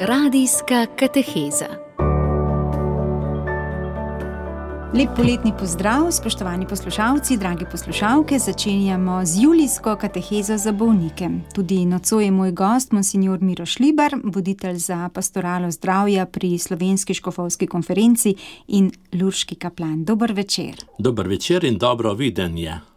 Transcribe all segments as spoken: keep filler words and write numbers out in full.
Radijska kateheza. Lep poletni pozdrav, spoštovani poslušalci, dragi poslušalke. Začenjamo z julijsko katehezo za bolnike. Tudi nocoj je moj gost, monsignor Miro Šlibar, voditelj za pastoralo zdravja pri Slovenski škofovski konferenci in lurški kaplan. Dober večer. Dober večer in dobro videnje.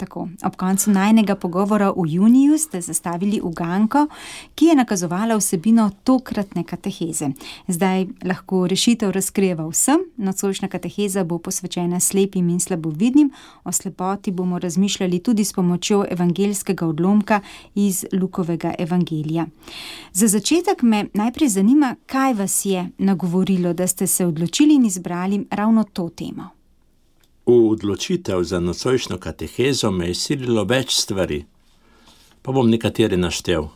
Tako, ob koncu najnega pogovora v juniju ste zastavili uganko, ki je nakazovala vsebino tokratne kateheze. Zdaj lahko rešitev razkrijeva vsem. Nocojšnja kateheza bo posvečena slepim in slabovidnim. O slepoti bomo razmišljali tudi s pomočjo evangeljskega odlomka iz Lukovega evangelija. Za začetek me najprej zanima, kaj vas je nagovorilo, da ste se odločili in izbrali ravno to temo. V odločitev za nocojšnjo katehezo me je sililo več stvari, pa bom nekatere naštel.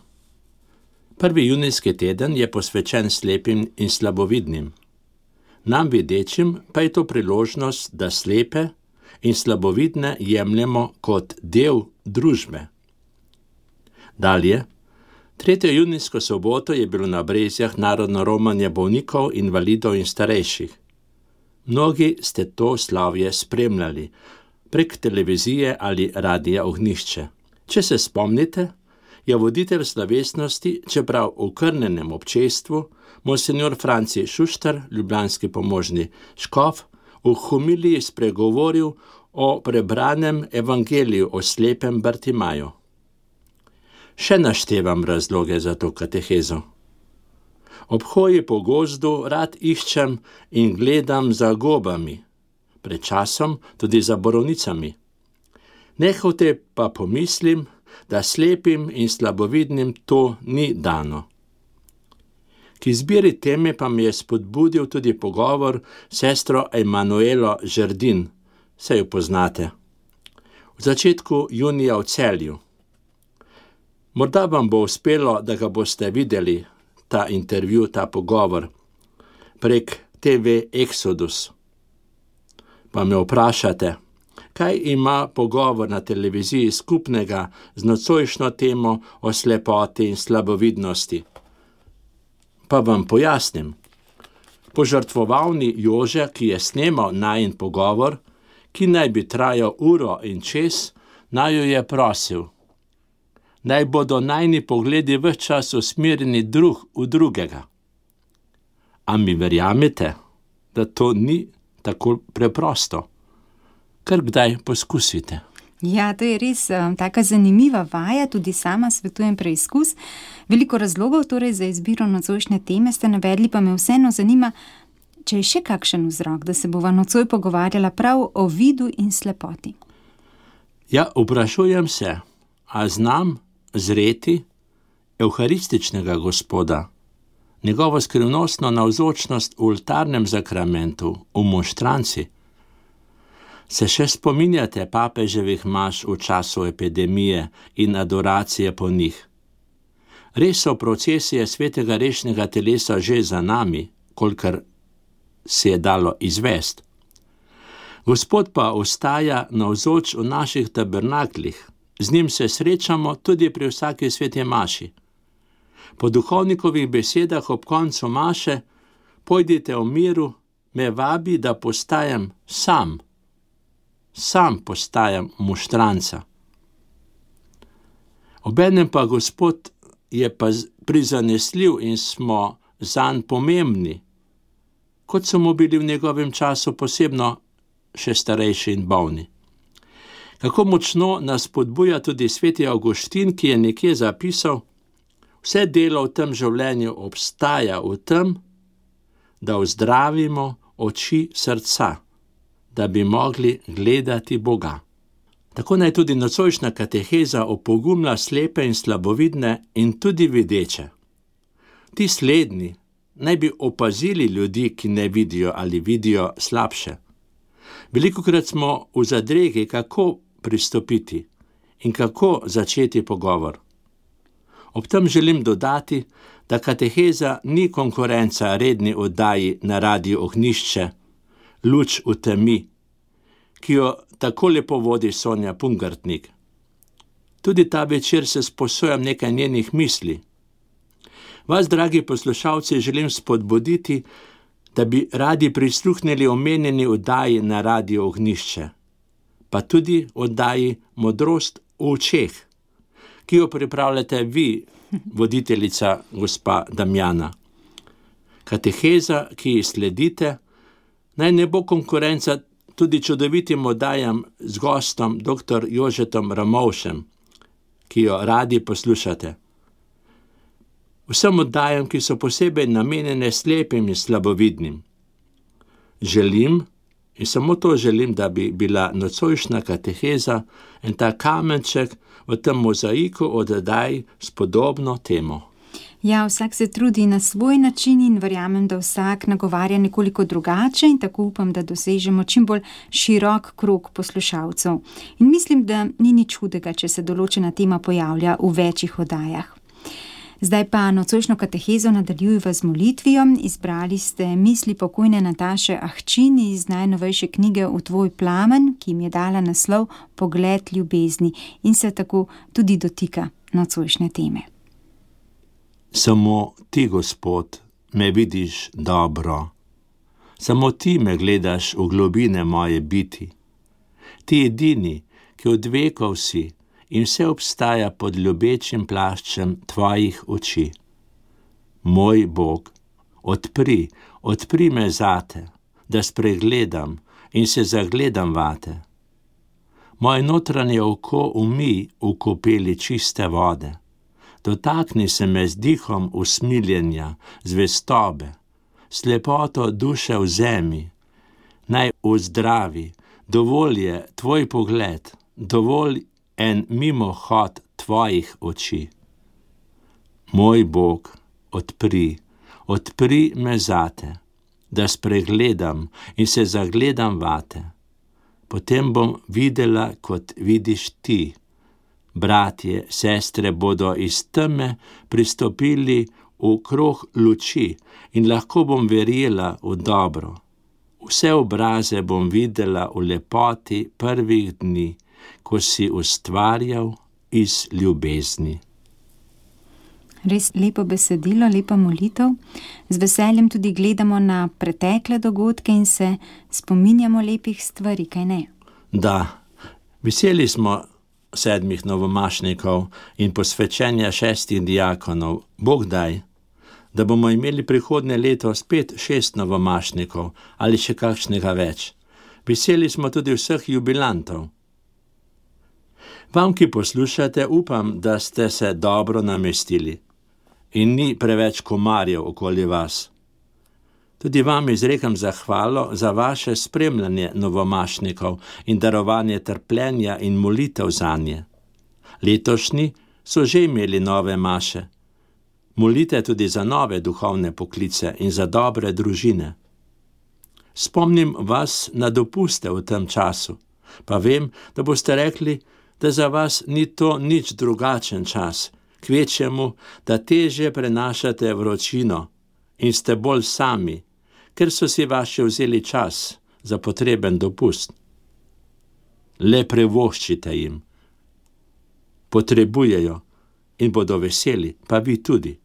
Prvi junijski teden je posvečen slepim in slabovidnim. Nam videčim pa je to priložnost, da slepe in slabovidne jemljemo kot del družbe. Dalje, tretjo junijsko soboto je bilo na Brezjah narodno romanje bolnikov, invalidov in starejših. Mnogi ste to slavje spremljali prek televizije ali radija Ognjišče. Če se spomnite, je voditelj slovesnosti, čeprav v krnenem občestvu, monsignor Franci Šuštar, ljubljanski pomožni škof, v homiliji spregovoril o prebranem evangeliju o slepem Bartimaju. Še naštevam razloge za to katehezo. Ob hoji po gozdu rad iščem in gledam za gobami, pred časom tudi za borovnicami. Nehote pa pomislim, da slepim in slabovidnim to ni dano. K izbiri teme pa mi je spodbudil tudi pogovor s sestro Emanuelo Žerdin, saj jo poznate, v začetku junija v Celju. Morda vam bo uspelo, da ga boste videli, ta intervju, ta pogovor, prek te ve Exodus. Pa me vprašate, kaj ima pogovor na televiziji skupnega z nocojšnjo temo o slepoti in slabovidnosti? Pa vam pojasnim. Požrtvovalni Jože, ki je snemal najin pogovor, ki naj bi trajal uro in čez, naj jo je prosil, naj bodo najni pogledi ves čas usmerjeni drug v drugega. A mi verjamete, da to ni tako preprosto? Kar kdaj poskusite. Ja, to je res um, taka zanimiva vaja, tudi sama svetujem preizkus. Veliko razlogov torej za izbiro nocojšnje teme ste navedli, pa me vseeno zanima, če je še kakšen vzrok, da se bova nocoj pogovarjala prav o vidu in slepoti. Ja, vprašujem se, a znam zreti evharističnega Gospoda, njegovo skrivnostno navzočnost v oltarnem zakramentu, v monštranci. Se še spominjate papeževih maš v času epidemije in adoracije po njih? Res so procesije svetega rešnega telesa že za nami, kolikor se je dalo izvest. Gospod pa ostaja navzoč v naših tabernaklih. Z njim se srečamo tudi pri vsaki sveti maši. Po duhovnikovih besedah ob koncu maše, pojdite v miru, me vabi, da postajam sam. Sam postajam monštranca. Obenem pa Gospod je pa prizanesljiv in smo zanj pomembni, kot so mu bili v njegovem času posebno še starejši in bolni. Kako močno nas spodbuja tudi sveti Avguštin, ki je nekje zapisal, vse delo v tem življenju obstaja v tem, da ozdravimo oči srca, da bi mogli gledati Boga. Tako naj tudi nocojšnja kateheza opogumlja slepe in slabovidne in tudi videče. Ti slednji naj bi opazili ljudi, ki ne vidijo ali vidijo slabše. Velikokrat smo v zadregi, kako pristopiti in kako začeti pogovor. Ob tem želim dodati, da kateheza ni konkurenca redni oddaji na radiju Ognjišče, Luč v temi, ki jo tako lepo vodi Sonja Pungartnik. Tudi ta večer se sposojam nekaj njenih misli. Vas, dragi poslušalci, želim spodbuditi, da bi radi prisluhnili omenjeni oddaji na Radio Ognjišče, pa tudi oddaji Modrost v očeh, ki jo pripravljate vi, voditeljica gospa Damjana. Kateheza, ki ji sledite, naj ne bo konkurenca tudi čudovitim oddajam z gostom dr. Jožetom Ramovšem, ki jo radi poslušate. Vsem oddajam, ki so posebej namenjene slepim in slabovidnim. Želim, in samo to želim, da bi bila nocojšnja kateheza en ta kamenček v tem mozaiku oddaj s podobno temo. Ja, vsak se trudi na svoj način in verjamem, da vsak nagovarja nekoliko drugače in tako upam, da dosežemo čim bolj širok krog poslušalcev. In mislim, da ni nič hudega, če se določena tema pojavlja v večjih oddajah. Zdaj pa nocojšnjo katehezo nadaljujeva z molitvijo. Izbrali ste misli pokojne Nataše Ahčin iz najnovejše knjige V tvoj plamen, ki jim je dala naslov Pogled ljubezni in se tako tudi dotika nocojšnje teme. Samo ti, Gospod, me vidiš dobro. Samo ti me gledaš v globine moje biti. Ti edini, ki od vekov si in vse obstaja pod ljubečim plaščem tvojih oči. Moj Bog, odpri, odpri me zate, da spregledam in se zagledam vate. Moje notranje oko umij v kopeli čiste vode. Dotakni se me z dihom usmiljenja, zvestobe, slepoto duše v zemi. Naj vzdravi, dovolj je tvoj pogled, dovolj en mimohod tvojih oči. Moj Bog, odpri, odpri me zate, da spregledam in se zagledam vate. Potem bom videla, kot vidiš ti. Bratje, sestre bodo iz teme pristopili v krog luči in lahko bom verjela v dobro. Vse obraze bom videla v lepoti prvih dni, ko si ustvarjal iz ljubezni. Res lepo besedilo, lepa molitev. Z veseljem tudi gledamo na pretekle dogodke in se spominjamo lepih stvari, kaj ne? Da, veseli smo sedmih novomašnikov in posvečenja šestih diakonov. Bog daj, da bomo imeli prihodnje leto spet šest novomašnikov ali še kakšnega več. Veseli smo tudi vseh jubilantov. Vam, ki poslušate, upam, da ste se dobro namestili in ni preveč komarjev okoli vas. Tudi vam izrekam zahvalo za vaše spremljanje novomašnikov in darovanje trpljenja in molitev zanje. Letošnji so že imeli nove maše. Molite tudi za nove duhovne poklice in za dobre družine. Spomnim vas na dopuste v tem času, pa vem, da boste rekli, da za vas ni to nič drugačen čas, kvečjemu, da težje prenašate vročino in ste bolj sami, ker so si vaši vzeli čas za potreben dopust. Le privoščite jim. Potrebujejo in bodo veseli, pa vi tudi.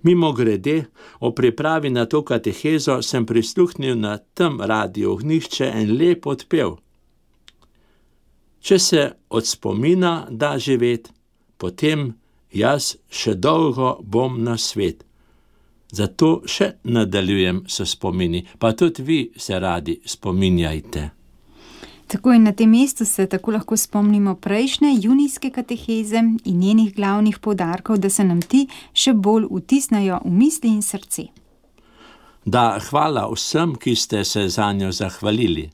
Mimogrede, o pripravi na to katehezo sem prisluhnil na tem Radio Ognjišče en lep odpev. Če se od spomina da živet, potem jaz še dolgo bom na svet. Zato še nadaljujem s spomini, pa tudi vi se radi spominjajte. Tako in na tem mestu se tako lahko spomnimo prejšnje junijske kateheze in njenih glavnih poudarkov, da se nam ti še bolj vtisnajo v misli in srce. Da, hvala vsem, ki ste se zanjo zahvalili.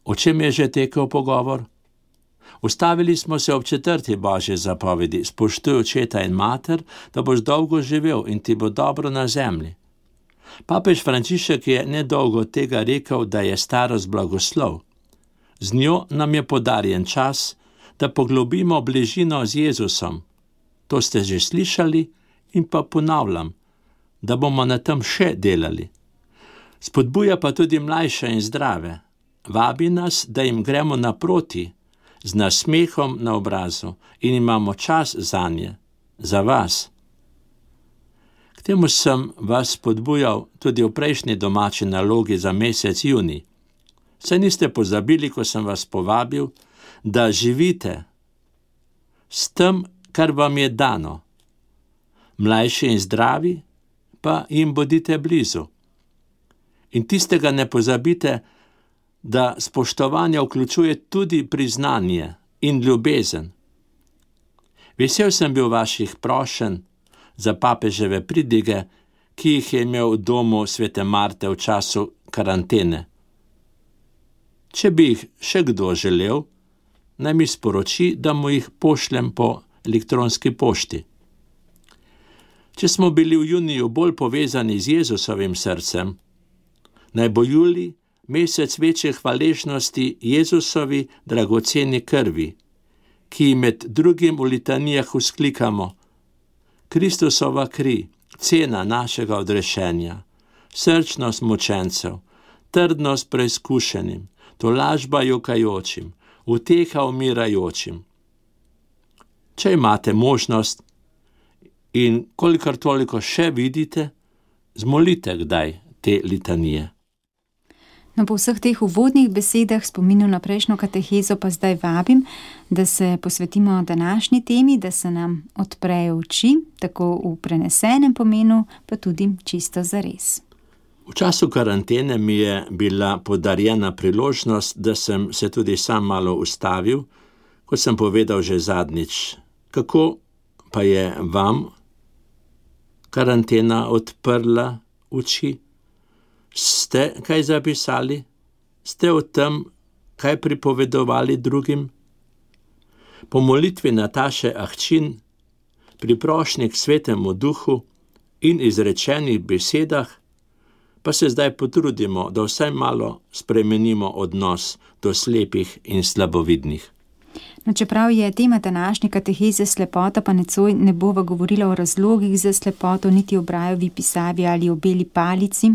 O čem je že tekel pogovor? Ustavili smo se ob četrti Božji zapovedi: spoštuj očeta in mater, da boš dolgo živel in ti bo dobro na zemlji. Papež Frančišek je nedolgo tega rekel, da je starost blagoslov. Z njo nam je podarjen čas, da poglobimo bližino z Jezusom. To ste že slišali in pa ponavljam, da bomo na tem še delali. Spodbuja pa tudi mlajše in zdrave. Vabi nas, da jim gremo naproti, z nasmehom na obrazu in imamo čas zanje, za vas. K temu sem vas spodbujal tudi v prejšnji domači nalogi za mesec junij. Saj niste pozabili, ko sem vas povabil, da živite s tem, kar vam je dano. Mlajši in zdravi, pa jim bodite blizu. In tistega ne pozabite, da spoštovanje vključuje tudi priznanje in ljubezen. Vesel sem bil vaših prošenj za papeževe pridige, ki jih je imel v domu svete Marte v času karantene. Če bi jih še kdo želel, naj mi sporoči, da mu jih pošljem po elektronski pošti. Če smo bili v juniju bolj povezani z Jezusovim srcem, naj bo julij mesec večje hvaležnosti Jezusovi dragoceni krvi, ki med drugim v litanijah vzklikamo: Kristusova kri, cena našega odrešenja, srčnost mučencev, trdnost preizkušenim, tolažba jokajočim, uteha umirajočim. Če imate možnost in kolikor toliko še vidite, zmolite kdaj te litanije. No, po vseh teh uvodnih besedah, spominu na prejšnjo katehezo, pa zdaj vabim, da se posvetimo današnji temi, da se nam odprejo oči, tako v prenesenem pomenu, pa tudi čisto zares. V času karantene mi je bila podarjena priložnost, da sem se tudi sam malo ustavil, kot sem povedal že zadnjič. Kako pa je vam karantena odprla oči? Ste kaj zapisali? Ste o tem kaj pripovedovali drugim? Po molitvi Nataše Ahčin, pri prošnji k Svetemu Duhu in izrečenih besedah, pa se zdaj potrudimo, da vsaj malo spremenimo odnos do slepih in slabovidnih. No, čeprav je tema današnje kateheze slepota, pa nocoj ne bova govorila o razlogih za slepoto, niti o Braillovi pisavi ali o beli palici,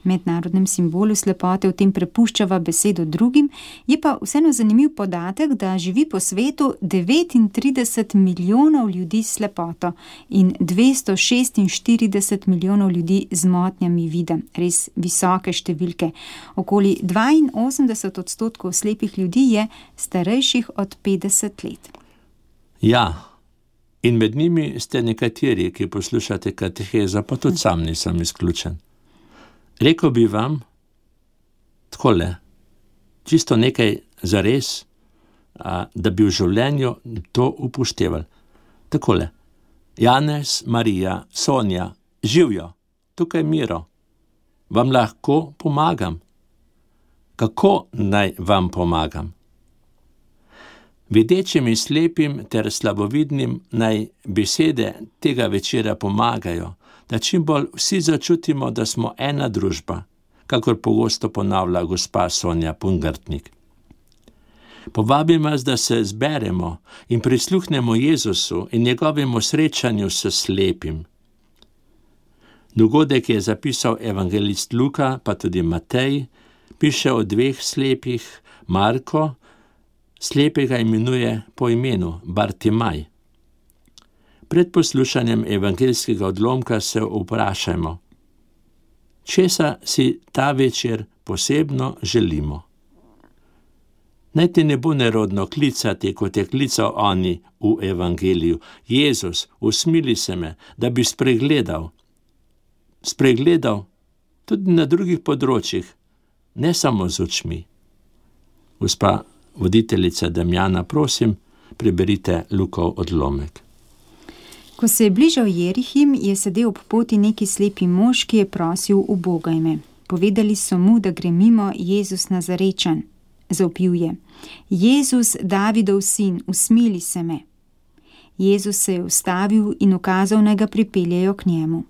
mednarodnem simbolu slepote, v tem prepuščava besedo drugim, je pa vseeno zanimiv podatek, da živi po svetu devetintrideset milijonov ljudi s slepoto in dvesto šestinštirideset milijonov ljudi z motnjami vida. Res visoke številke. Okoli dvainosemdeset odstotkov slepih ljudi je starejših od petdeset let. Ja, in med njimi ste nekateri, ki poslušate katehezo, pa tudi sam nisem izključen. Rekel bi vam takole, čisto nekaj zares, a, da bi v življenju to upoštevali. Takole, Janez, Marija, Sonja, živijo, tukaj Miro, vam lahko pomagam. Kako naj vam pomagam? Videčim in slepim ter slabovidnim naj besede tega večera pomagajo, da čim bolj vsi začutimo, da smo ena družba, kakor pogosto ponavlja gospa Sonja Pungartnik. Povabim vas, da se zberemo in prisluhnemo Jezusu in njegovemu srečanju s slepim. Dogodek je zapisal evangelist Luka, pa tudi Matej, piše o dveh slepih. Marko slepega imenuje po imenu Bartimaj. Pred poslušanjem evangeljskega odlomka se vprašajmo, česa si ta večer posebno želimo. Naj te ne bo nerodno klicati, kot je klical oni v evangeliju. Jezus, usmili se me, da bi spregledal. Spregledal tudi na drugih področjih, ne samo z očmi. Gospa voditeljica Damjana, prosim, preberite Lukov odlomek. Ko se je bližal Jerihim, je sedel ob poti neki slepi mož, ki je prosil: ubogaj me. Povedali so mu, da gre mimo Jezus Nazarečan. Zavpil je: Jezus, Davidov sin, usmili se me. Jezus se je ustavil in ukazal, naj ga pripeljejo k njemu.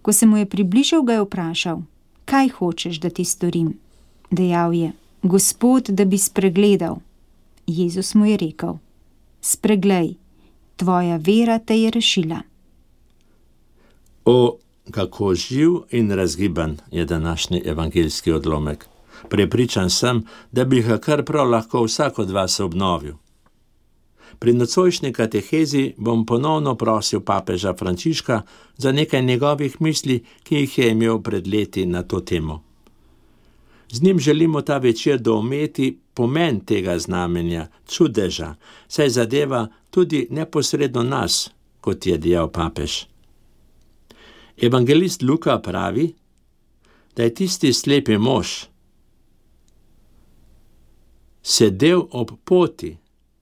Ko se mu je približal, ga je vprašal: kaj hočeš, da ti storim? Dejal je: Gospod, da bi spregledal. Jezus mu je rekel: spreglej, tvoja vera te je rešila. O, kako živ in razgiban je današnji evangeljski odlomek. Prepričan sem, da bi ga kar prav lahko vsak od vas obnovil. Pri nocojšnji katehezi bom ponovno prosil papeža Frančiška za nekaj njegovih misli, ki jih je imel pred leti na to temo. Z njim želimo ta večer doumeti pomen tega znamenja, čudeža, saj zadeva tudi neposredno nas, kot je dejal papež. Evangelist Luka pravi, da je tisti slepi mož sedel ob poti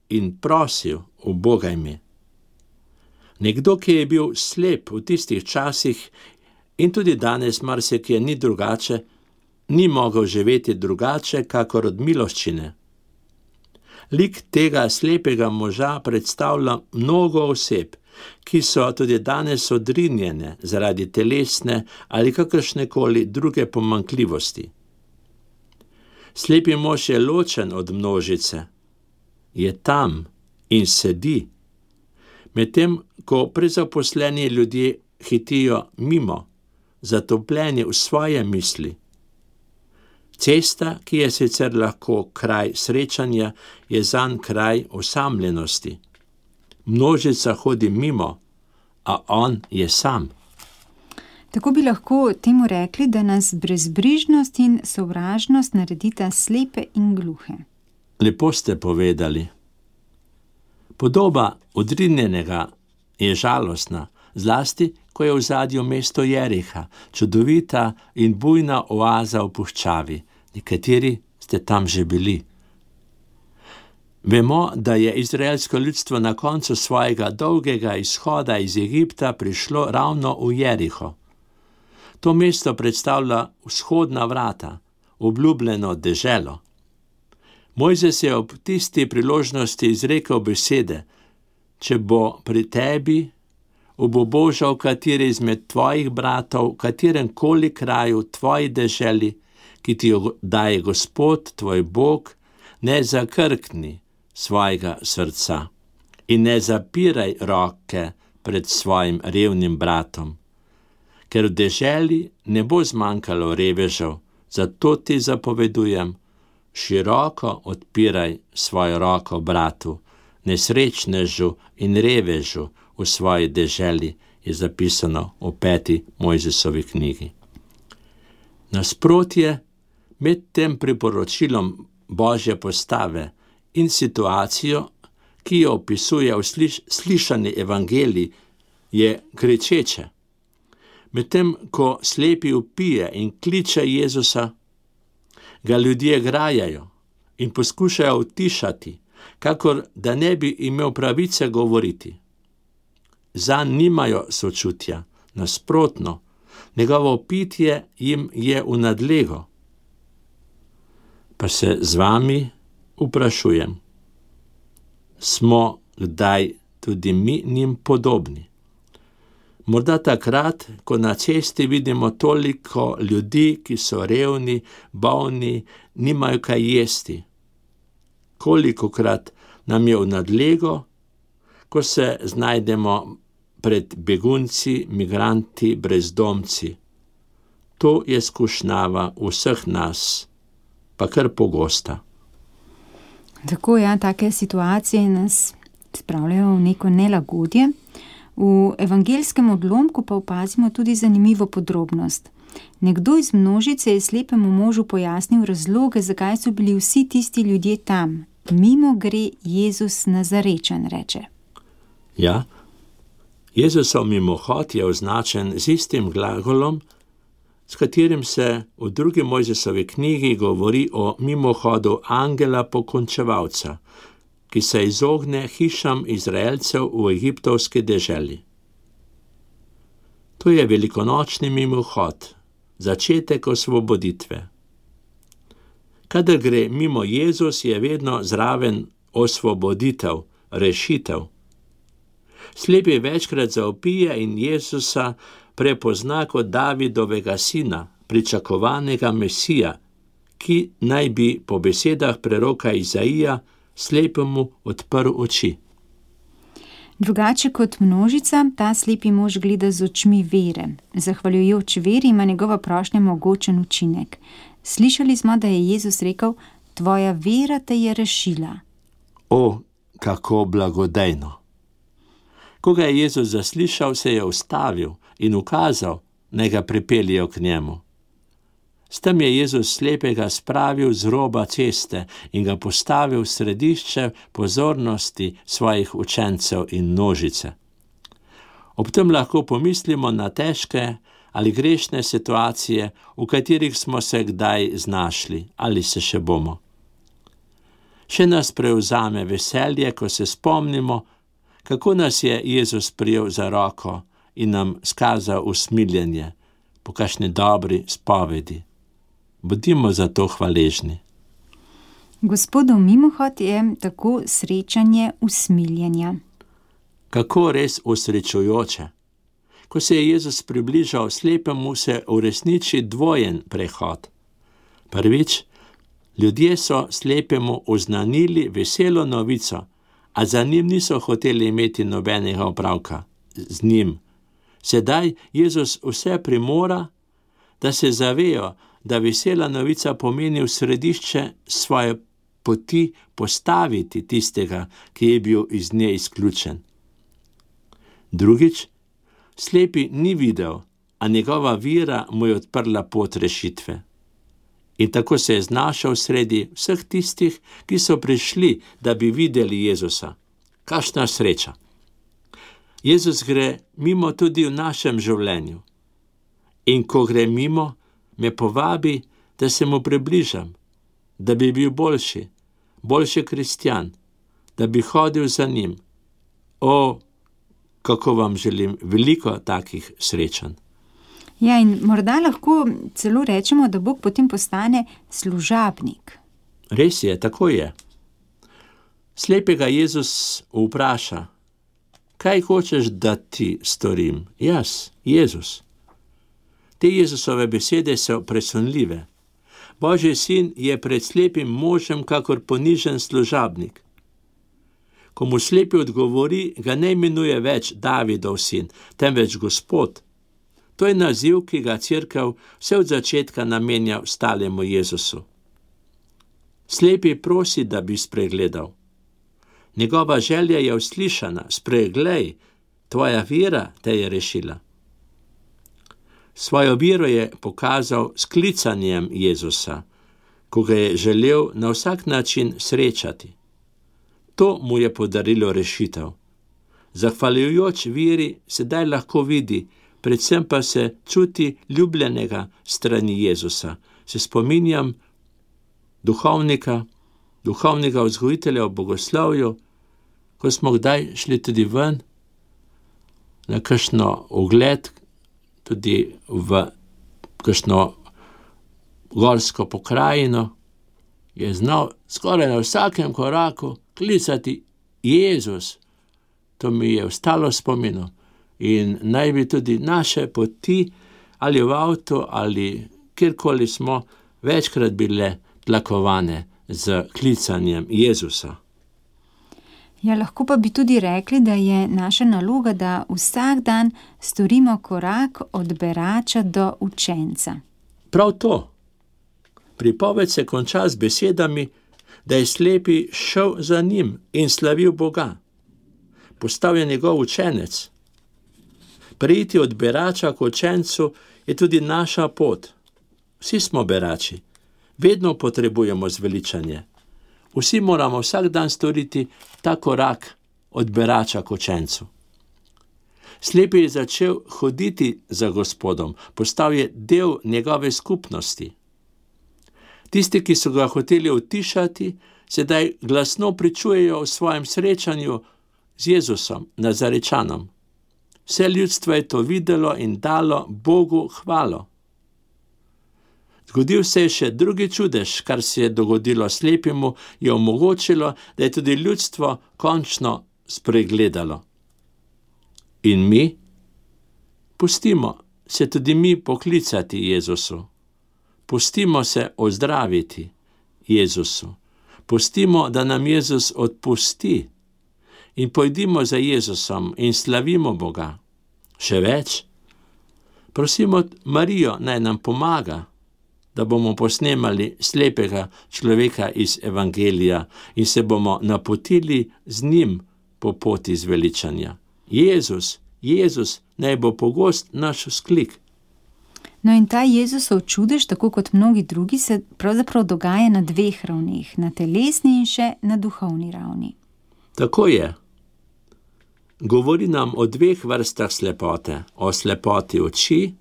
in prosil, ubogaj me. Nekdo, ki je bil slep v tistih časih in tudi danes marsikje ni drugače, ni mogel živeti drugače, kakor od miloščine. Lik tega slepega moža predstavlja mnogo oseb, ki so tudi danes odrinjene zaradi telesne ali kakršnekoli druge pomanjkljivosti. Slepi mož je ločen od množice, je tam in sedi, medtem ko prezaposleni ljudje hitijo mimo, zatopljeni v svoje misli. Cesta, ki je sicer lahko kraj srečanja, je zanj kraj osamljenosti. Množica hodi mimo, a on je sam. Tako bi lahko temu rekli, da nas brezbrižnost in sovražnost naredita slepe in gluhe. Lepo ste povedali. Podoba odrinjenega je žalostna, zlasti, ko je v zadju mesto Jeriha, čudovita in bujna oaza v puščavi. Nekateri ste tam že bili. Vemo, da je izraelsko ljudstvo na koncu svojega dolgega izhoda iz Egipta prišlo ravno v Jeriho. To mesto predstavlja vzhodna vrata, obljubljeno deželo. Mojzes je ob tisti priložnosti izrekel besede: če bo pri tebi obubožal kateri izmed tvojih bratov, katerem koli kraju tvoji deželi, ki ti jo daje Gospod, tvoj Bog, ne zakrkni svojega srca in ne zapiraj roke pred svojim revnim bratom. Ker v deželi ne bo zmanjkalo revežev, zato ti zapovedujem, široko odpiraj svojo roko bratu, nesrečnežu in revežu v svoji deželi, je zapisano v peti Mojzesovi knjigi. Nasprotje med tem priporočilom Božje postave in situacijo, ki jo opisuje v sliš- slišani evangeliji, je kričeče. Medtem ko slepi vpije in kliče Jezusa, ga ljudje grajajo in poskušajo utišati, kakor da ne bi imel pravice govoriti. Zanj nimajo sočutja, nasprotno, njegovo pitje jim je v nadlego. Pa se z vami vprašujem, smo kdaj tudi mi njim podobni? Morda takrat, ko na cesti vidimo toliko ljudi, ki so revni, bolni, nimajo kaj jesti. Kolikokrat nam je v nadlego, ko se znajdemo pred begunci, migranti, brezdomci. To je skušnjava vseh nas, pa kar pogosta. Tako, ja, take situacije nas spravljajo v neko nelagodje. V evangelskem odlomku pa opazimo tudi zanimivo podrobnost. Nekdo iz množice je slepemu možu pojasnil razloge, zakaj so bili vsi tisti ljudje tam. Mimo gre Jezus Nazarečan, reče. Ja, Jezusov mimohod je označen z istim glagolom, s katerim se v drugi Mojzesovi knjigi govori o mimohodu angela pokončevalca, ki se izogne hišam Izraelcev v egiptovski deželi. To je velikonočni mimohod, začetek osvoboditve. Kadar gre mimo Jezus, je vedno zraven osvoboditev, rešitev. Slepi večkrat zavpije in Jezusa prepozna kot Davidovega sina, pričakovanega Mesija, ki naj bi po besedah preroka Izaija slepemu odprl oči. Drugače kot množica, ta slepi mož gleda z očmi vere. Zahvaljujoč veri ima njegova prošnja mogočen učinek. Slišali smo, da je Jezus rekel: tvoja vera te je rešila. O, kako blagodejno. Ko ga je Jezus zaslišal, se je ustavil in ukazal, naj ga pripeljejo k njemu. S tem je Jezus slepega spravil z roba ceste in ga postavil v središče pozornosti svojih učencev in množice. Ob tem lahko pomislimo na težke ali grešne situacije, v katerih smo se kdaj znašli ali se še bomo. Še nas prevzame veselje, ko se spomnimo, kako nas je Jezus prijel za roko in nam skazal usmiljenje po kakšni dobri spovedi. Bodimo za to hvaležni. Gospodov mimohod je tako srečanje usmiljenja. Kako res osrečujoče. Ko se je Jezus približal slepemu, se uresniči dvojen prehod. Prvič, ljudje so slepemu oznanili veselo novico, a za njim niso hoteli imeti nobenega opravka z njim. Sedaj Jezus vse primora, da se zavejo, da vesela novica pomeni v središče svoje poti postaviti tistega, ki je bil iz nje izključen. Drugič, slepi ni videl, a njegova vera mu je odprla pot rešitve. In tako se je znašel sredi vseh tistih, ki so prišli, da bi videli Jezusa. Kakšna sreča! Jezus gre mimo tudi v našem življenju. In ko gre mimo, me povabi, da se mu približam, da bi bil boljši, boljši kristjan, da bi hodil za njim. O, kako vam želim veliko takih srečanj. Ja, in morda lahko celo rečemo, da Bog potem postane služabnik. Res je, tako je. Slepega Jezus vpraša, kaj hočeš, da ti storim? Jaz, Jezus. Te Jezusove besede so presunljive. Božji sin je pred slepim možem kakor ponižen služabnik. Ko mu slepi odgovori, ga ne imenuje več Davidov sin, temveč Gospod. To je naziv, ki ga Cerkev vse od začetka namenja ostalemu Jezusu. Slepi prosi, da bi spregledal. Njegova želja je uslišana, spreglej, tvoja vera te je rešila. Svojo vero je pokazal s klicanjem Jezusa, ko ga je želel na vsak način srečati. To mu je podarilo rešitev. Zahvaljujoč veri sedaj lahko vidi, predvsem pa se čuti ljubljenega strani Jezusa. Se spominjam duhovnika, duhovnega vzgojitelja v bogoslovju, ko smo kdaj šli tudi ven na kakšno ogled, tudi v kakšno gorsko pokrajino, je znal skoraj na vsakem koraku klicati Jezus. To mi je ostalo spominu. In naj bi tudi naše poti, ali v avtu, ali kjerkoli smo, večkrat bile tlakovane z klicanjem Jezusa. Ja, lahko pa bi tudi rekli, da je naša naloga, da vsak dan storimo korak od berača do učenca. Prav to. Pripoved se konča z besedami, da je slepi šel za njim in slavil Boga. Postal je njegov učenec. Preiti od berača k učencu je tudi naša pot. Vsi smo berači. Vedno potrebujemo zveličanje. Vsi moramo vsak dan storiti ta korak od berača k učencu. Slepi je začel hoditi za Gospodom, postal je del njegove skupnosti. Tisti, ki so ga hoteli utišati, sedaj glasno pričujejo o svojem srečanju z Jezusom, Nazarečanom. Vse ljudstvo je to videlo in dalo Bogu hvalo. Zgodil se je še drugi čudež, kar se je dogodilo slepemu, je omogočilo, da je tudi ljudstvo končno spregledalo. In mi? Pustimo se tudi mi poklicati Jezusu. Pustimo se ozdraviti Jezusu. Pustimo, da nam Jezus odpusti. In pojdimo za Jezusom in slavimo Boga. Še več, prosimo Marijo, naj nam pomaga. da bomo posnemali slepega človeka iz evangelija in se bomo napotili z njim po poti zveličanja. Jezus, Jezus, naj bo pogost naš vzklik. No in ta Jezusov čudež, tako kot mnogi drugi, se pravzaprav dogaja na dveh ravneh, na telesni in še na duhovni ravni. Tako je. Govori nam o dveh vrstah slepote, o slepoti oči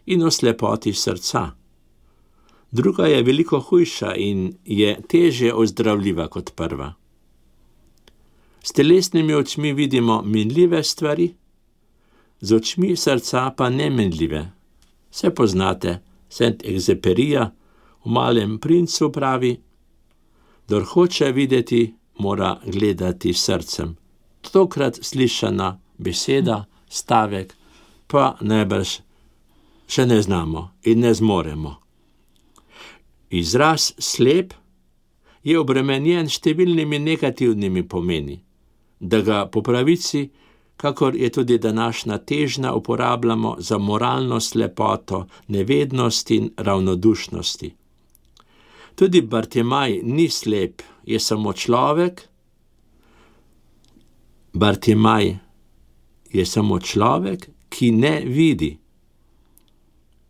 in o slepoti srca. Druga je veliko hujša in je težje ozdravljiva kot prva. S telesnimi očmi vidimo minljive stvari, z očmi srca pa neminljive. Vse poznate, Saint-Exupéryja v Malem princu pravi: "Kdor hoče videti, mora gledati srcem." Tokrat slišana beseda, stavek, pa najbrž še ne znamo in ne zmoremo. Izraz slep je obremenjen številnimi negativnimi pomeni, da ga po pravici, kakor je tudi današnja težnja, uporabljamo za moralno slepoto, nevednost in ravnodušnosti. Tudi Bartimaj ni slep, je samo človek. Bartimaj je samo človek, ki ne vidi.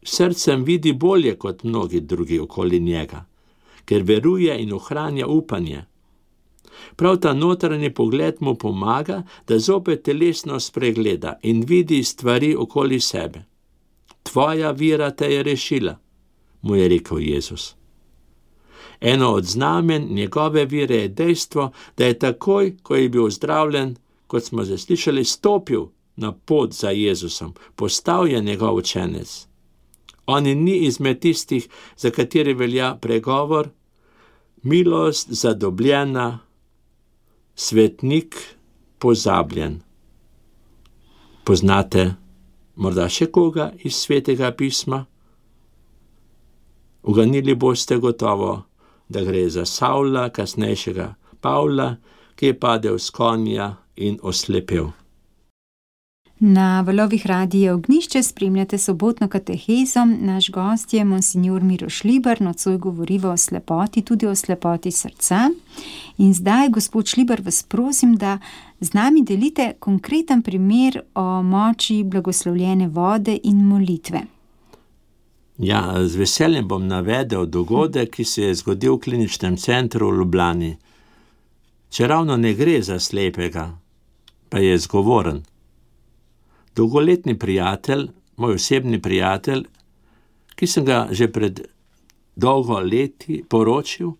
Srcem vidi bolje kot mnogi drugi okoli njega, ker veruje in ohranja upanje. Prav ta notranji pogled mu pomaga, da zopet telesno spregleda in vidi stvari okoli sebe. Tvoja vera te je rešila, mu je rekel Jezus. Eno od znamen njegove vere je dejstvo, da je takoj, ko je bil zdravljen, kot smo zaslišali, stopil na pot za Jezusom, postal je njegov učenec. On ni izmed tistih, za kateri velja pregovor: milost zadobljena, svetnik pozabljen. Poznate morda še koga iz Svetega pisma? Uganili boste gotovo, da gre za Savla, kasnejšega Pavla, ki je padel s konja in oslepel. Na valovih Radia Ognjišče spremljate sobotno katehezo. Naš gost je monsignor Miroš Šlibar, nocoj govoriva o slepoti, tudi o slepoti srca. In zdaj, gospod Šlibar, vas prosim, da z nami delite konkreten primer o moči blagoslovljene vode in molitve. Ja, z veseljem bom navedel dogodek, ki se je zgodil v kliničnem centru v Ljubljani. Če ravno ne gre za slepega, pa je zgovoren. Dolgoletni prijatelj, moj osebni prijatelj, ki sem ga že pred dolgo leti poročil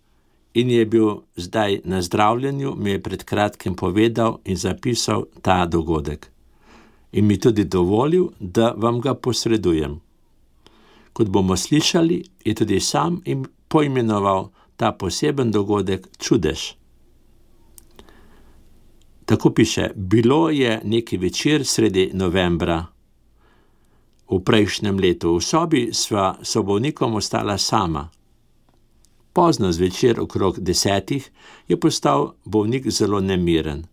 in je bil zdaj na zdravljenju, mi je pred kratkim povedal in zapisal ta dogodek. In mi tudi dovolil, da vam ga posredujem. Kot bomo slišali, je tudi sam in poimenoval ta poseben dogodek čudež. Tako piše: bilo je neki večer sredi novembra v prejšnjem letu. V sobi sva s bolnikom ostala sama. Pozno zvečer, okrog desetih, je postal bolnik zelo nemiren.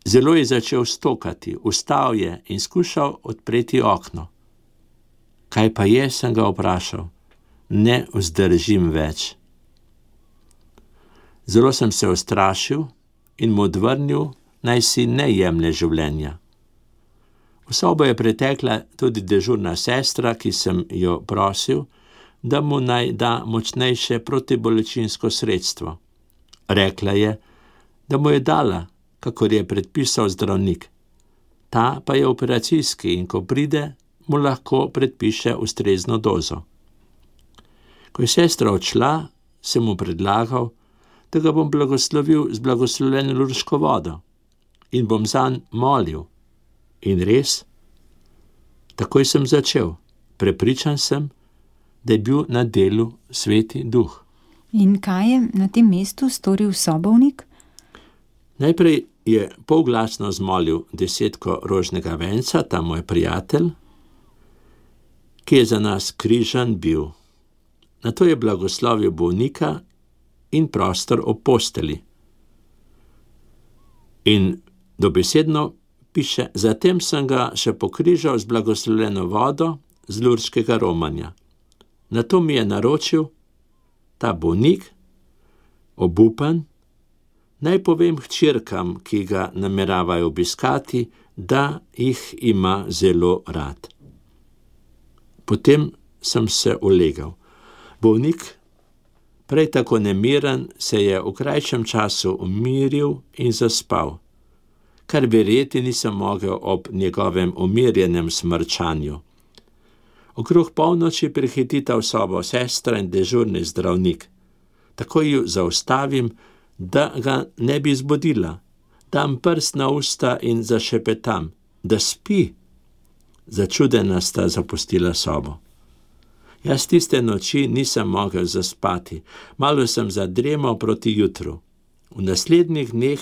Zelo je začel stokati, vstal je in skušal odpreti okno. Kaj pa je, sem ga vprašal. Ne vzdržim več. Zelo sem se ustrašil in mu odvrnil, naj si ne jemlje življenja. V sobo je pretekla tudi dežurna sestra, ki sem jo prosil, da mu naj da močnejše protibolečinsko sredstvo. Rekla je, da mu je dala, kakor je predpisal zdravnik. Ta pa je operacijski in ko pride, mu lahko predpiše ustrezno dozo. Ko je sestra odšla, sem mu predlagal, da ga bom blagoslovil z blagoslovljeno lurško vodo in bom zanj molil. In res, takoj sem začel. Prepričan sem, da je bil na delu Sveti Duh. In kaj je na tem mestu storil sobovnik? Najprej je polglasno zmolil desetko rožnega venca, ta moj prijatelj, ki je za nas križan bil. Nato je blagoslovil bolnika in prostor ob posteli. In dobesedno piše, zatem sem ga še pokrižal z blagoslovljeno vodo z lurškega romanja. Nato mi je naročil, ta bolnik, obupan, naj povem hčerkam, ki ga nameravajo obiskati, da jih ima zelo rad. Potem sem se ulegal. Bolnik, prej tako nemiren, se je v krajšem času umiril in zaspal, kar verjeti nisem mogel ob njegovem umirjenem smrčanju. Okrog polnoči prihitita v sobo sestra in dežurni zdravnik. Takoj ju zaustavim, da ga ne bi zbudila. Dam prst na usta in zašepetam, da spi. Začudena sta zapustila sobo. Jaz tiste noči nisem mogel zaspati. Malo sem zadremal proti jutru. V naslednjih dneh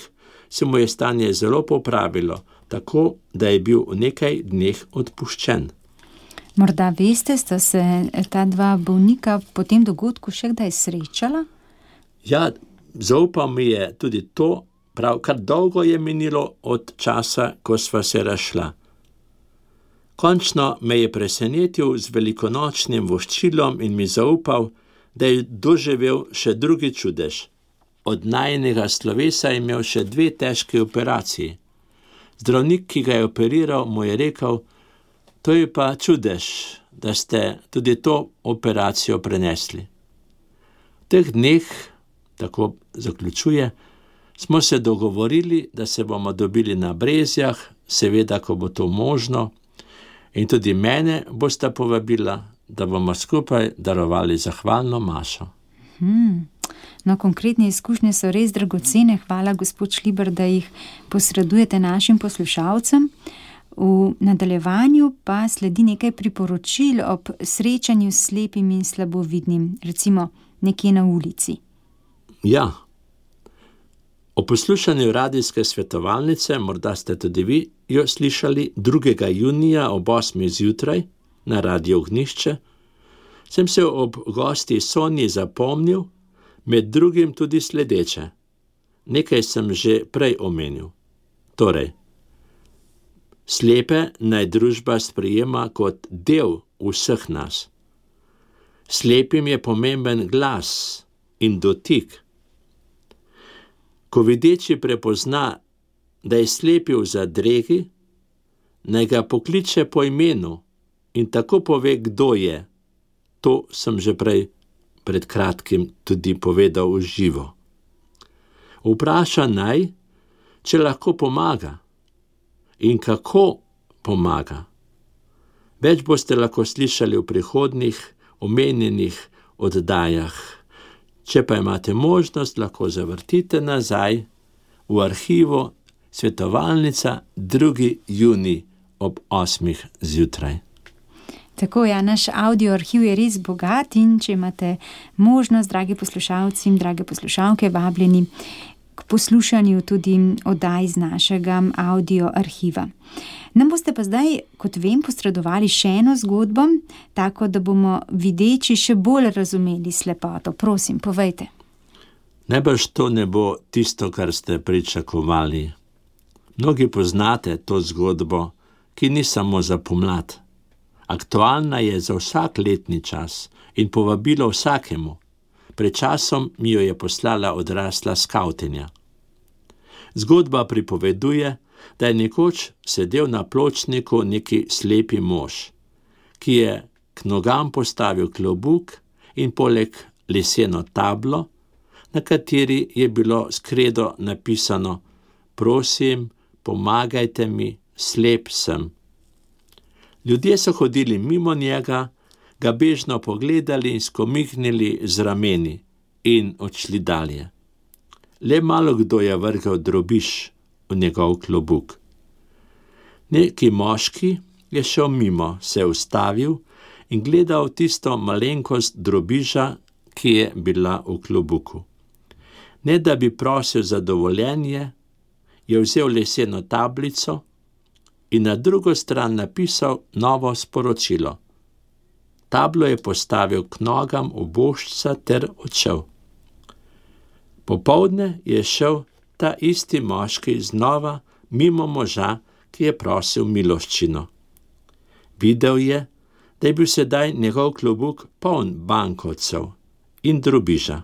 se mu je stanje zelo popravilo, tako da je bil v nekaj dneh odpuščen. Morda veste, sta se ta dva bolnika po tem dogodku še kdaj srečala? Ja, zaupal mi je tudi to, prav kar dolgo je minilo od časa, ko sva se razšla. Končno me je presenetil z velikonočnim voščilom in mi zaupal, da je doživel še drugi čudež. Od najinega slovesa je imel še dve težki operaciji. Zdravnik, ki ga je operiral, mu je rekel, to je pa čudež, da ste tudi to operacijo prenesli. V teh dneh, tako zaključuje, smo se dogovorili, da se bomo dobili na Brezjah, seveda, ko bo to možno, in tudi mene bosta povabila, da bomo skupaj darovali zahvalno mašo. Hmm. No, konkretne izkušnje so res dragocene. Hvala, gospod Šlibar, da jih posredujete našim poslušalcem. V nadaljevanju pa sledi nekaj priporočil ob srečanju s slepim in slabovidnim, recimo nekje na ulici. Ja. O poslušanju radijske svetovalnice, morda ste tudi vi jo slišali, drugega junija ob osmih zjutraj na Radio Ognjišče, sem se ob gosti Sonji zapomnil, med drugim tudi sledeče. Nekaj sem že prej omenil. Torej, slepe naj družba sprejema kot del vseh nas. Slepim je pomemben glas in dotik. Ko videči prepozna, da je slepi v zadregi, naj ga pokliče po imenu in tako pove, kdo je. To sem že prej pred kratkim tudi povedal v živo. Vpraša naj, če lahko pomaga in kako pomaga. Več boste lahko slišali v prihodnjih omenjenih oddajah. Če pa imate možnost, lahko zavrtite nazaj v arhivu Svetovalnica drugi junij ob osmih zjutraj. Tako, ja, naš audio arhiv je res bogat in če imate možnost, dragi poslušalci in drage poslušalke, vabljeni k poslušanju tudi oddaj z našega audio arhiva. Nam boste pa zdaj, kot vem, posredovali še eno zgodbo, tako da bomo videči še bolj razumeli slepoto. Prosim, povejte. Najbrž to ne bo tisto, kar ste pričakovali. Mnogi poznate to zgodbo, ki ni samo za pomlad. Aktualna je za vsak letni čas in povabilo vsakemu. Pred časom mi jo je poslala odrasla skavtinja. Zgodba pripoveduje, da je nekoč sedel na pločniku neki slepi mož, ki je k nogam postavil klobuk in poleg leseno tablo, na kateri je bilo s kredo napisano: prosim, pomagajte mi, slep sem. Ljudje so hodili mimo njega, ga bežno pogledali in skomignili z rameni in odšli dalje. Le malo kdo je vrgel drobiž v njegov klobuk. Neki moški je šel mimo, se ustavil in gledal tisto malenkost drobiža, ki je bila v klobuku. Ne da bi prosil za dovoljenje, je vzel leseno tablico in na drugo stran napisal novo sporočilo. Tablo je postavil k nogam ubožca ter odšel. Popoldne je šel ta isti moški znova mimo moža, ki je prosil miloščino. Videl je, da je bil sedaj njegov klobuk poln bankovcev in drobiža.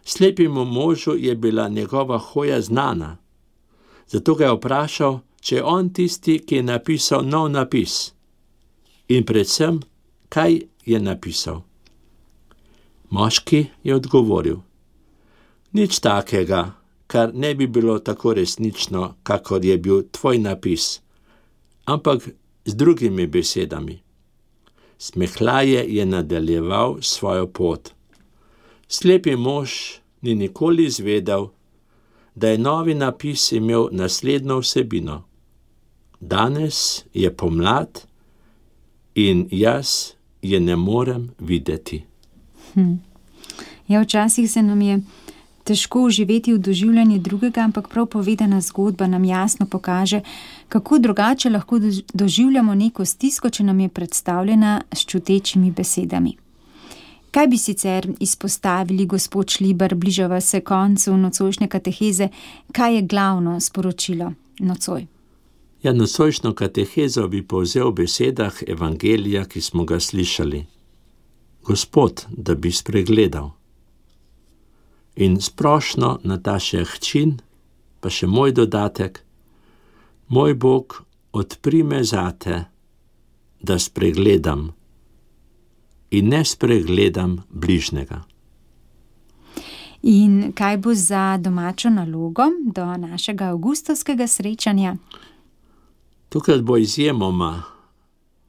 Slepemu možu je bila njegova hoja znana, zato ga je vprašal, če je on tisti, ki je napisal nov napis. In predvsem, kaj je napisal. Moški je odgovoril: nič takega, kar ne bi bilo tako resnično, kakor je bil tvoj napis, ampak z drugimi besedami. Smehlaje je nadaljeval svojo pot. Slepi mož ni nikoli izvedel, da je novi napis imel naslednjo vsebino. Danes je pomlad in jaz je ne morem videti. Hm. Ja, včasih se nam je težko uživeti v doživljanje drugega, ampak prav povedana zgodba nam jasno pokaže, kako drugače lahko doživljamo neko stisko, če nam je predstavljena s čutečimi besedami. Kaj bi sicer izpostavili, gospod Šlibar, bližava se koncu nocojšnje kateheze, kaj je glavno sporočilo nocoj? Ja, nocojšnjo katehezo bi povzel v besedah evangelija, ki smo ga slišali. Gospod, da bi spregledal. In splošno Nataša Hčin, pa še moj dodatek, moj Bog, odpri me zate, da spregledam in ne spregledam bližnjega. In kaj bo za domačo nalogo do našega avgustovskega srečanja? Tukaj bo izjemoma,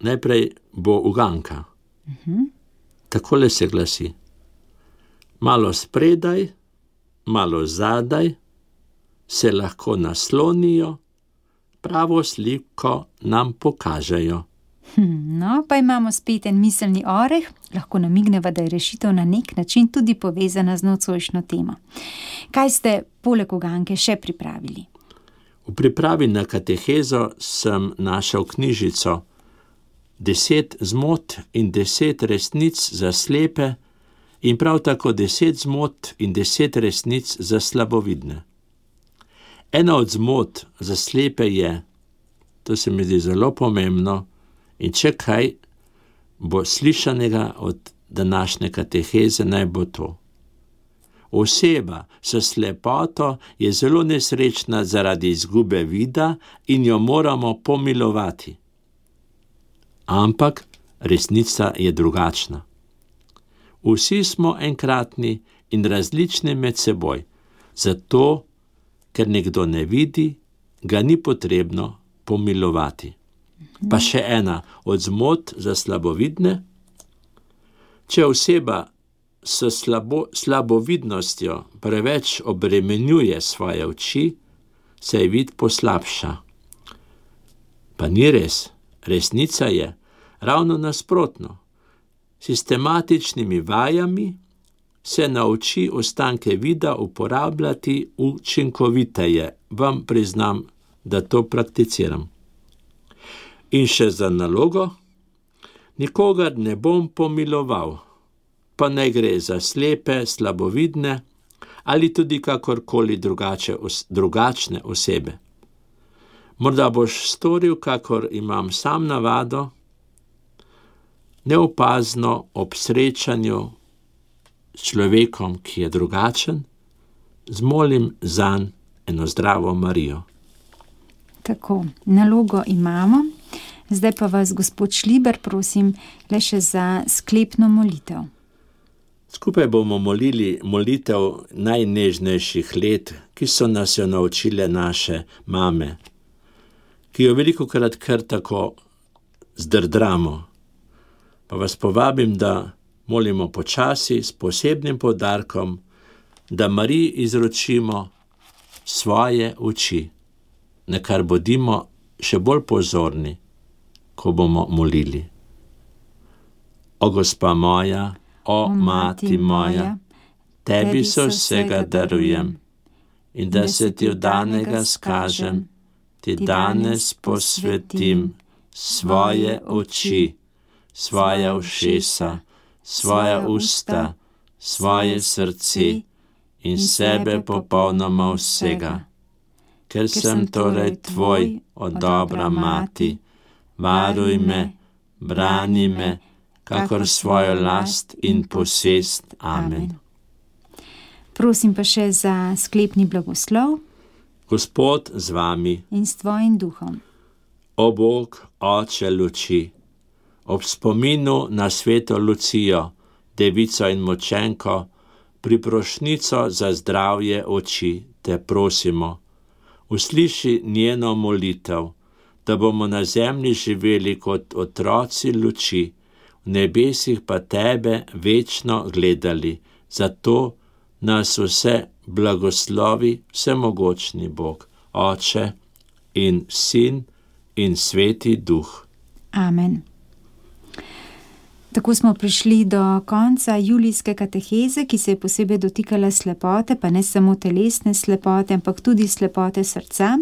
najprej bo uganka. Uh-huh. Takole se glasi: malo spredaj, malo zadaj, se lahko naslonijo, pravo sliko nam pokažejo. Hm, no, pa imamo spet en miselni oreh, lahko namigneva, da je rešitev na nek način tudi povezana z nocojšnjo temo. Kaj ste poleg uganke še pripravili? V pripravi na katehezo sem našel knjižico Deset zmot in deset resnic za slepe in prav tako deset zmot in deset resnic za slabovidne. Ena od zmot za slepe je, to se mi zdi zelo pomembno, in če kaj bo slišanega od današnje kateheze, naj bo to. Oseba s slepoto je zelo nesrečna zaradi izgube vida in jo moramo pomilovati. Ampak resnica je drugačna. Vsi smo enkratni in različni med seboj, zato, ker nekdo ne vidi, ga ni potrebno pomilovati. Pa še ena od zmot za slabovidne. Če oseba s slabo, slabovidnostjo preveč obremenjuje svoje oči, se je vid poslabša. Pa ni res. Resnica je ravno nasprotno. Sistematičnimi vajami se nauči ostanke vida uporabljati učinkoviteje. Vam priznam, da to prakticiram. In še za nalogo, nikogar ne bom pomiloval, pa ne gre za slepe, slabovidne ali tudi kakorkoli drugače, drugačne osebe. Morda boš storil, kakor imam sam navado, neopazno ob srečanju s človekom, ki je drugačen, zmolim zanj eno zdravo Marijo. Tako, nalogo imamo. Zdaj pa vas, gospod Šlibar, prosim, le še za sklepno molitev. Skupaj bomo molili molitev najnežnejših let, ki so nas jo naučile naše mame, ki jo velikokrat kar tako zdrdramo. Pa vas povabim, da molimo počasi s posebnim poudarkom, da Mariji izročimo svoje oči, na kar bodimo še bolj pozorni, ko bomo molili. O Gospa moja, o, o Mati moja, tebi se vsega darujem in da se ti od danega skažem, ti danes posvetim svoje oči, svoja ušesa, svoja usta, svoje srce in sebe popolnoma vsega. Ker sem torej tvoj, o dobra Mati, varuj me, brani me, kakor svojo last in posest. Amen. Prosim pa še za sklepni blagoslov. Gospod z vami. In s tvojim duhom. O Bog, Oče luči, ob spominu na sveto Lucijo, devico in močenko, priprošnico za zdravje oči, te prosimo. Usliši njeno molitev, da bomo na zemlji živeli kot otroci luči, v nebesih pa tebe večno gledali. Zato nas vse blagoslovi vsemogočni Bog, Oče in Sin in Sveti Duh. Amen. Tako smo prišli do konca julijske kateheze, ki se je posebej dotikala slepote, pa ne samo telesne slepote, ampak tudi slepote srca.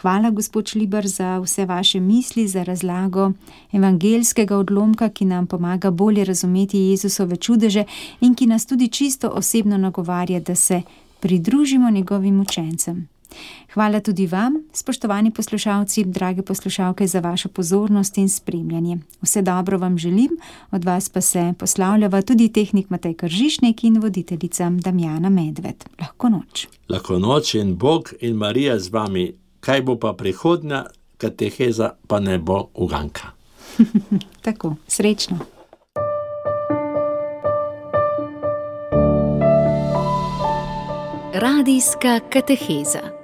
Hvala, gospod Šlibar, za vse vaše misli, za razlago evangeljskega odlomka, ki nam pomaga bolje razumeti Jezusove čudeže in ki nas tudi čisto osebno nagovarja, da se pridružimo njegovim učencem. Hvala tudi vam, spoštovani poslušalci, drage poslušalke, za vašo pozornost in spremljanje. Vse dobro vam želim, od vas pa se poslavljava tudi tehnik Matej Kržišnik in voditeljica Damjana Medved. Lahko noč. Lahko noč in Bog in Marija z vami. Kaj bo pa prihodnja kateheza, pa ne bo uganka. Tako, srečno. Radijska kateheza.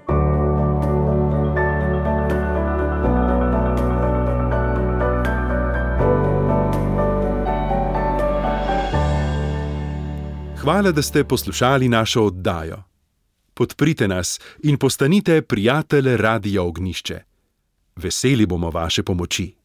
Hvala, da ste poslušali našo oddajo. Podprite nas in postanite prijatelj Radia Ognjišče. Veseli bomo vaše pomoči.